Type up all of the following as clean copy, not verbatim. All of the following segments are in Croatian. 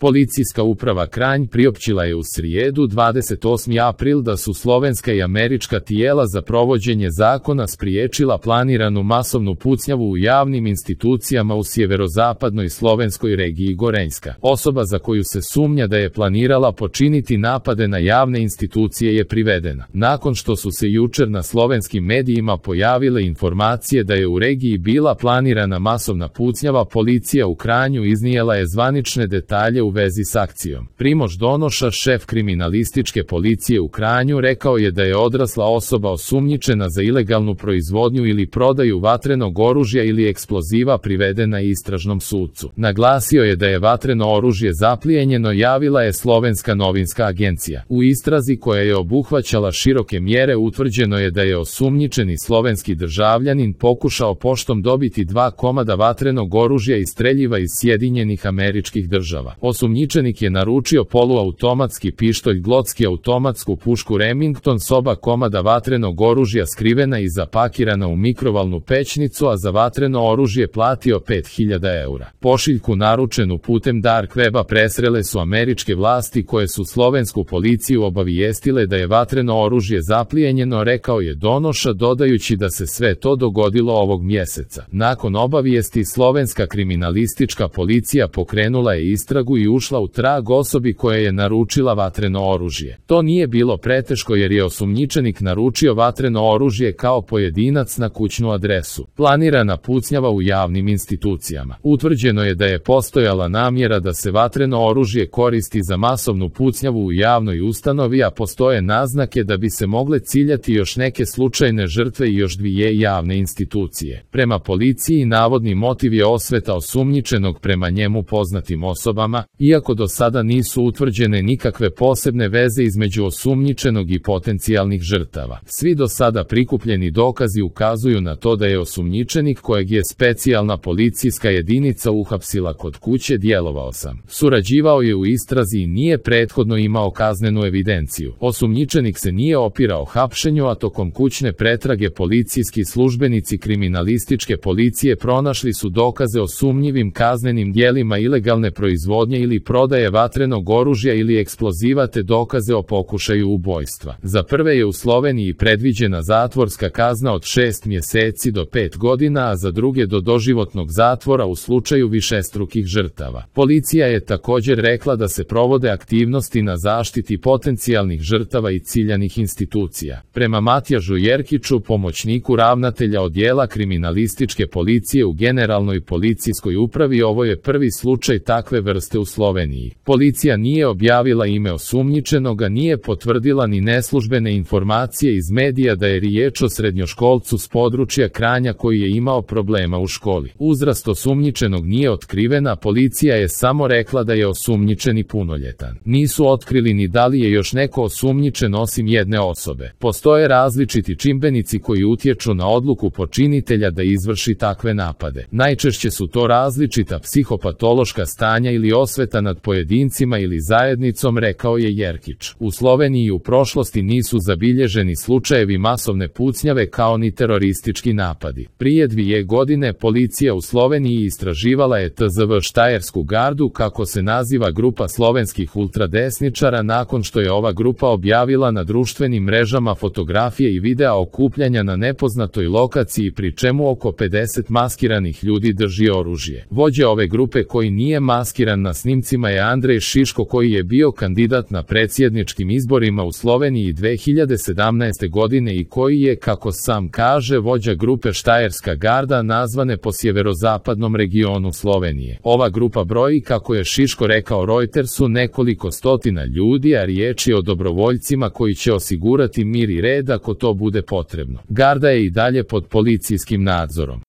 Policijska uprava Kranj priopćila je u srijedu 28. april da su slovenska i američka tijela za provođenje zakona spriječila planiranu masovnu pucnjavu u javnim institucijama u sjeverozapadnoj slovenskoj regiji Gorenjska. Osoba za koju se sumnja da je planirala počiniti napade na javne institucije je privedena. Nakon što su se jučer na slovenskim medijima pojavile informacije da je u regiji bila planirana masovna pucnjava, policija u Kranju iznijela je zvanične detalje u vezi s akcijom. Primož Donoša, šef kriminalističke policije u Kranju, rekao je da je odrasla osoba osumnjičena za ilegalnu proizvodnju ili prodaju vatrenog oružja ili eksploziva privedena istražnom sudcu. Naglasio je da je vatreno oružje zaplijenjeno, javila je Slovenska novinska agencija. U istrazi koja je obuhvaćala široke mjere utvrđeno je da je osumnjičeni slovenski državljanin pokušao poštom dobiti 2 komada vatrenog oružja i streljiva iz Sjedinjenih Američkih Država. Osumnjičenik je naručio poluautomatski pištolj Glock i automatsku pušku Remington s 2 komada vatrenog oružja skrivena i zapakirana u mikrovalnu pećnicu, a za vatreno oružje platio 5000 eura. Pošiljku naručenu putem dark weba presrele su američke vlasti koje su slovensku policiju obavijestile da je vatreno oružje zaplijenjeno, rekao je Donoša, dodajući da se sve to dogodilo ovog mjeseca. Nakon obavijesti slovenska kriminalistička policija pokrenula je istragu i ušla u trag osobi koja je naručila vatreno oružje. To nije bilo preteško jer je osumnjičenik naručio vatreno oružje kao pojedinac na kućnu adresu. Planirana pucnjava u javnim institucijama. Utvrđeno je da je postojala namjera da se vatreno oružje koristi za masovnu pucnjavu u javnoj ustanovi, a postoje naznake da bi se mogle ciljati još neke slučajne žrtve i još 2 javne institucije. Prema policiji, navodni motiv je osveta osumnjičenog prema njemu poznatim osobama, iako do sada nisu utvrđene nikakve posebne veze između osumnjičenog i potencijalnih žrtava. Svi do sada prikupljeni dokazi ukazuju na to da je osumnjičenik, kojeg je specijalna policijska jedinica uhapsila kod kuće, djelovao sam. Surađivao je u istrazi i nije prethodno imao kaznenu evidenciju. Osumnjičenik se nije opirao hapšenju, a tokom kućne pretrage policijski službenici kriminalističke policije pronašli su dokaze o sumnjivim kaznenim djelima ilegalne proizvodnje ili prodaje vatrenog oružja ili eksploziva te dokaze o pokušaju ubojstva. Za prve je u Sloveniji predviđena zatvorska kazna od 6 mjeseci do 5 godina, a za druge do doživotnog zatvora u slučaju višestrukih žrtava. Policija je također rekla da se provode aktivnosti na zaštiti potencijalnih žrtava i ciljanih institucija. Prema Matjažu Jerkiću, pomoćniku ravnatelja odjela kriminalističke policije u Generalnoj policijskoj upravi, ovo je prvi slučaj takve vrste u Sloveniji. Policija nije objavila ime osumnjičenoga, nije potvrdila ni neslužbene informacije iz medija da je riječ o srednjoškolcu s područja Kranja koji je imao problema u školi. Uzrast osumnjičenog nije otkrivena, policija je samo rekla da je osumnjičeni punoljetan. Nisu otkrili ni da li je još neko osumnjičen osim jedne osobe. Postoje različiti čimbenici koji utječu na odluku počinitelja da izvrši takve napade. Najčešće su to različita psihopatološka stanja ili osveta nad pojedincima ili zajednicom, rekao je Jerkić. U Sloveniji u prošlosti nisu zabilježeni slučajevi masovne pucnjave kao ni teroristički napadi. Prije 2 godine policija u Sloveniji istraživala je TZV Štajersku gardu, kako se naziva grupa slovenskih ultradesničara, nakon što je ova grupa objavila na društvenim mrežama fotografije i videa okupljanja na nepoznatoj lokaciji, pri čemu oko 50 maskiranih ljudi drži oružje. Vođa ove grupe koji nije maskiran na snimcima je Andrej Šiško, koji je bio kandidat na predsjedničkim izborima u Sloveniji 2017. godine i koji je, kako sam kaže, vođa grupe Štajerska garda, nazvane po sjeverozapadnom regionu Slovenije. Ova grupa broji, kako je Šiško rekao Reutersu, nekoliko stotina ljudi, a riječ je o dobrovoljcima koji će osigurati mir i red ako to bude potrebno. Garda je i dalje pod policijskim nadzorom.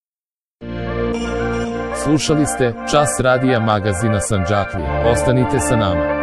Slušali ste Čas radija magazina Sandžaklija. Ostanite sa nama.